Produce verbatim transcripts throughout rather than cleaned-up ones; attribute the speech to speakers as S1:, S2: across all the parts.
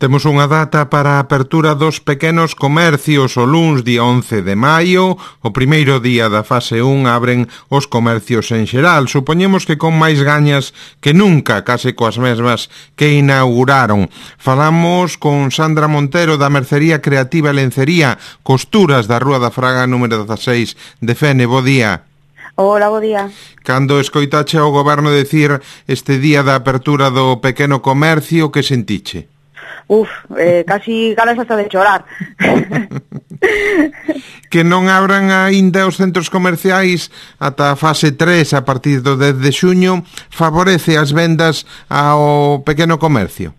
S1: Temos unha data para a apertura dos pequenos comercios o luns día once de maio. O primeiro día da fase un abren os comercios en xeral. Supoñemos que con máis gañas que nunca, case coas mesmas que inauguraron. Falamos con Sandra Montero da Mercería Creativa e Lencería Costuras da Rúa da Fraga número dezaseis de Fene. Bo día.
S2: Hola, bo día.
S1: Cando escoitache ao goberno decir este día da apertura do pequeno comercio, que sentiche?
S2: Uf, eh, casi ganas hasta de chorar.
S1: Que non abran aínda os centros comerciais ata a fase tres a partir do dez de xuño favorece as vendas ao pequeno comercio?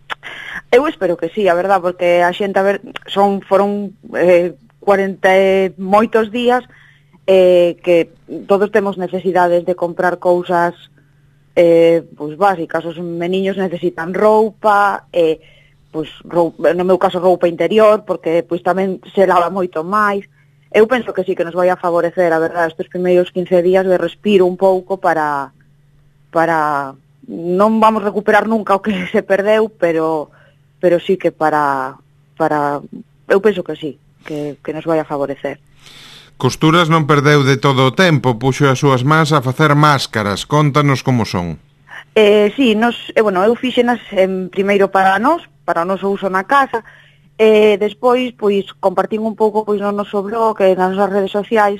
S2: Eu espero que sí, a verdad, porque a xente, a ver, son foron eh, cuarenta e moitos días eh, que todos temos necesidades de comprar cousas eh, pois básicas. Os meniños necesitan roupa, eh, pois roupa, no meu caso roupa interior, porque pois tamén se lava moito máis. Eu penso que sí que nos vai a favorecer, a verdade, estes primeiros quince días de respiro un pouco para para non vamos recuperar nunca o que se perdeu, pero pero sí que para para eu penso que sí, que que nos vai a favorecer.
S1: Costuras non perdeu de todo o tempo, puxo as súas mans a facer máscaras. Contanos como son.
S2: Eh, sí, nos, eh, bueno, eu fixenas en primeiro para nós, para o noso uso na casa, e eh, despois, pois, compartín un pouco pois no noso blog e nas nosas redes sociais,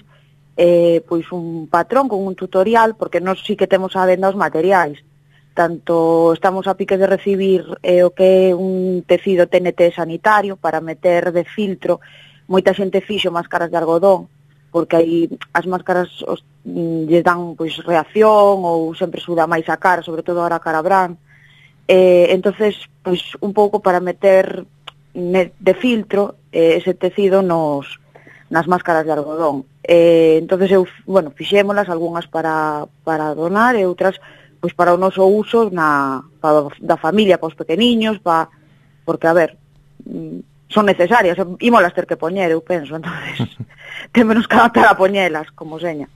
S2: eh, pois un patrón con un tutorial, porque nós sí que temos a venda os materiais. Tanto estamos a pique de recibir eh, o que é un tecido T N T sanitario para meter de filtro. Moita xente fixo máscaras de algodón, porque aí as máscaras os, lle dan pois reacción ou sempre suda máis a cara, sobre todo ahora a cara brán. Eh, entonces, pois un pouco para meter de filtro eh, ese tecido nos nas máscaras de algodón. Eh, entonces eu, bueno, fixémolas algunhas para para donar e outras pois para o noso uso na para da familia, para os pequeniños, para porque a ver, son necesarias, ímolas ter que poñer, eu penso, entonces temos que adaptar a poñelas, como seña.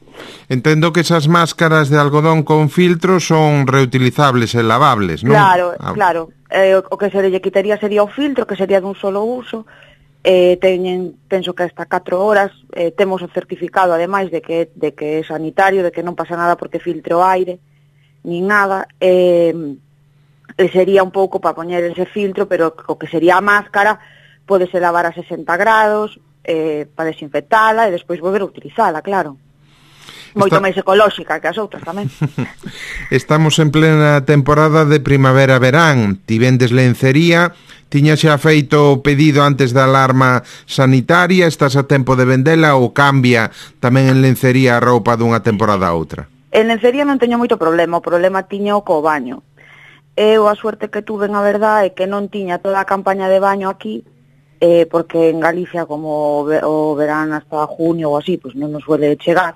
S1: Entendo que esas máscaras de algodón con filtro son reutilizables e lavables, non?
S2: Claro,
S1: ah.
S2: claro. Eh, o que se lle quitaría sería o filtro, que sería dun solo uso. Eh, teñen, penso que hasta catro horas. Eh, temos o certificado, ademais, de que, de que é sanitario, de que non pasa nada porque filtre o aire, nin nada. Eh, e sería un pouco para poñer ese filtro, pero o que sería a máscara pódese lavar a sesenta grados eh, para desinfectala e despois volver a utilizala, claro. Moito Está... máis ecolóxica que as outras tamén.
S1: Estamos en plena temporada de primavera-verán. Ti vendes lencería, tiña xa feito o pedido antes da alarma sanitaria, estás a tempo de vendela ou cambia tamén en lencería a roupa dunha temporada a outra?
S2: En lencería non teño moito problema, o problema tiña o co baño. Eu a suerte que tuve, na verdade, é que non tiña toda a campaña de baño aquí, eh, porque en Galicia, como o verán hasta junio ou así, pues non nos suele chegar.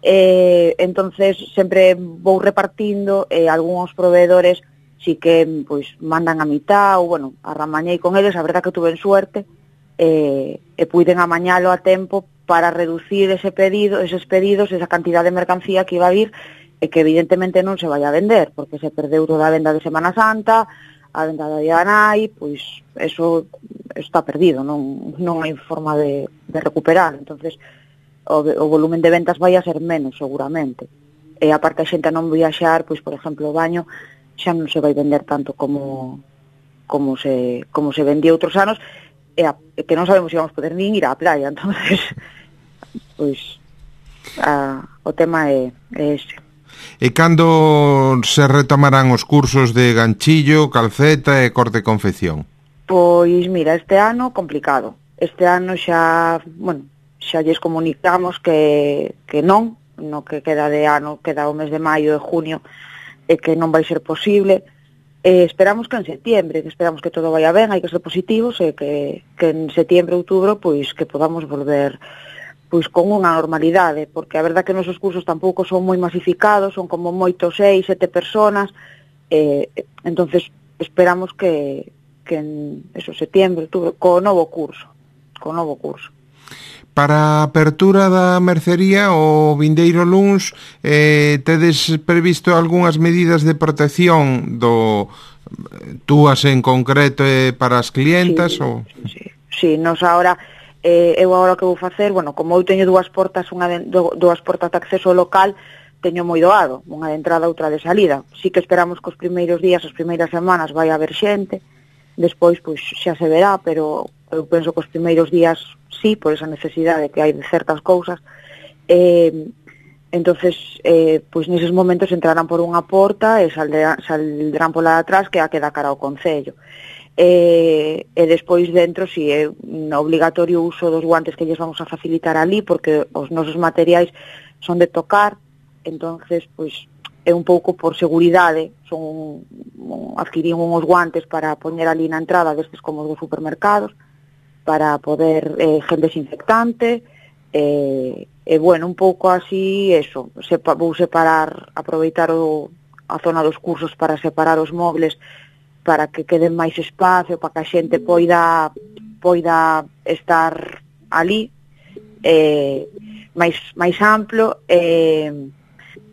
S2: Eh, entonces sempre vou repartindo, eh, algúns proveedores si que pois mandan a mitad, ou bueno, arramañei con eles, a verdad que tuve suerte, eh, e puiden amañalo a tempo para reducir ese pedido, eses pedidos, esa cantidad de mercancía que iba a vir, e que evidentemente non se vai a vender, porque se perdeu toda a venda de Semana Santa, a venda da Día da Nai, pois eso está perdido, non, non hai forma de, de recuperar. Entonces o, o volumen de ventas vai a ser menos seguramente, e aparte a xente non viaxar, pois por exemplo o baño xa non se vai vender tanto como como se como se vendía outros anos, e, a, e que non sabemos se vamos poder nin ir á playa. Entonces pois a, o tema é, é ese.
S1: E cando se retomarán os cursos de ganchillo, calceta e corte e confección?
S2: Pois mira, este ano complicado. Este ano xa, bueno, xa lles comunicamos que, que non, no que queda de ano, queda o mes de maio e junio, e que non vai ser posible. E esperamos que en setiembre, que esperamos que todo vaya ben, hai que ser positivos, e que, que en setiembre, outubro, pois que podamos volver pois con unha normalidade, porque a verdad que nosos cursos tampouco son moi masificados, son como moito seis, sete personas, eh, entonces esperamos que, que en eso, setiembre, outubro, co novo curso, co novo curso.
S1: Para a apertura da mercería o vindeiro luns, eh, tedes previsto algunhas medidas de protección do túas en concreto eh, para as clientas?
S2: Sí,
S1: ou...
S2: sí, sí, nos agora eh, eu agora que vou facer, bueno, como eu teño dúas portas, unha de, do, dúas portas de acceso ao local, teño moi doado, unha de entrada, outra de salida. Sí que esperamos que os primeiros días, as primeiras semanas vai haber xente, despois pois xa se verá, pero eu penso que os primeiros días sí, por esa necesidade que hai de certas cousas. Eh, entonces, eh, pois neses momentos entrarán por unha porta e saldrán, saldrán pola de atrás, que é a que dá cara ao concello. E, e despois dentro si é obligatorio o uso dos guantes que lles vamos a facilitar ali, porque os nosos materiais son de tocar, entonces pois é un pouco por seguridade, son adquirín uns guantes para poñer ali na entrada destes como os dos supermercados, para poder eh, gel desinfectante, e, e bueno, un pouco así eso, sepa, vou separar, aproveitar o, a zona dos cursos para separar os mobles para que queden máis espacio, para que a xente poida poida estar ali eh, máis, máis amplo e,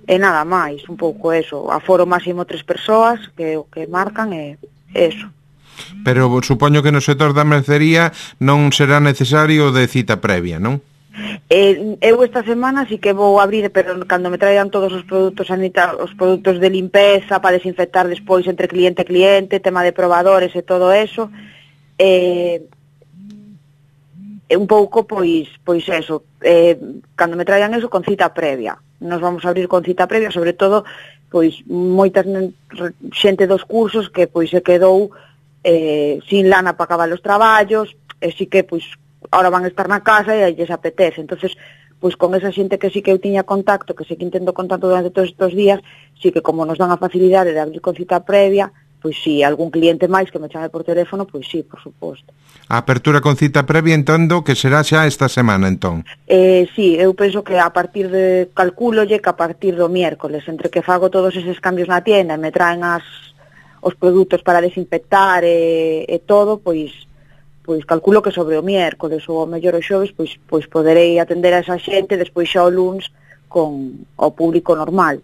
S2: e nada máis, un pouco eso, aforo máximo tres persoas que o que marcan é eso.
S1: Pero supoño que no sector da mercería non será necesario de cita previa, non?
S2: Eh, eu esta semana sí que vou abrir, pero cando me traian todos os produtos sanitarios, os produtos de limpeza para desinfectar despois entre cliente e cliente, tema de probadores e todo eso, eh, un pouco pois pois eso, eh, cando me traian eso con cita previa. Nos vamos a abrir con cita previa, sobre todo pois moitas xente dos cursos que pois se quedou eh, sin lana para acabar os traballos, e si que pois ahora van a estar na casa e aí lles apetece. Entonces, pois con esa xente que sí que eu tiña contacto, que sí que intento contacto durante todos estes días, sí que como nos dan a facilidade de abrir con cita previa, pois sí, algún cliente máis que me chame por teléfono, pois sí, por suposto.
S1: A apertura con cita previa, entendo que será xa esta semana, entón?
S2: Eh, sí, eu penso que a partir de, calcúlolle que a partir do miércoles, entre que fago todos eses cambios na tienda e me traen as, os produtos para desinfectar e, e todo, pois pois calculo que sobre o miércoles ou ao mellor o xoves, pois pois poderei atender a esa xente, despois xa o luns con o público normal.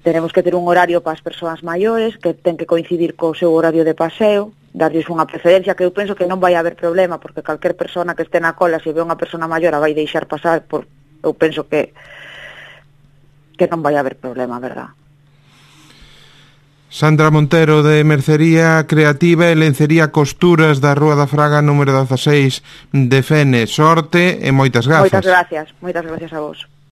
S2: Tenemos que ter un horario para as persoas maiores, que ten que coincidir co seu horario de paseo, darlles unha preferencia, que eu penso que non vai haber problema, porque calquer persona que este na cola, se ve unha persona maior, a vai deixar pasar, por, eu penso que que non vai haber problema, verdad?
S1: Sandra Montero, de Mercería Creativa e Lencería Costuras da Rúa da Fraga número dezaseis de Fene. Sorte e moitas grazas.
S2: Moitas gracias, moitas gracias a vos.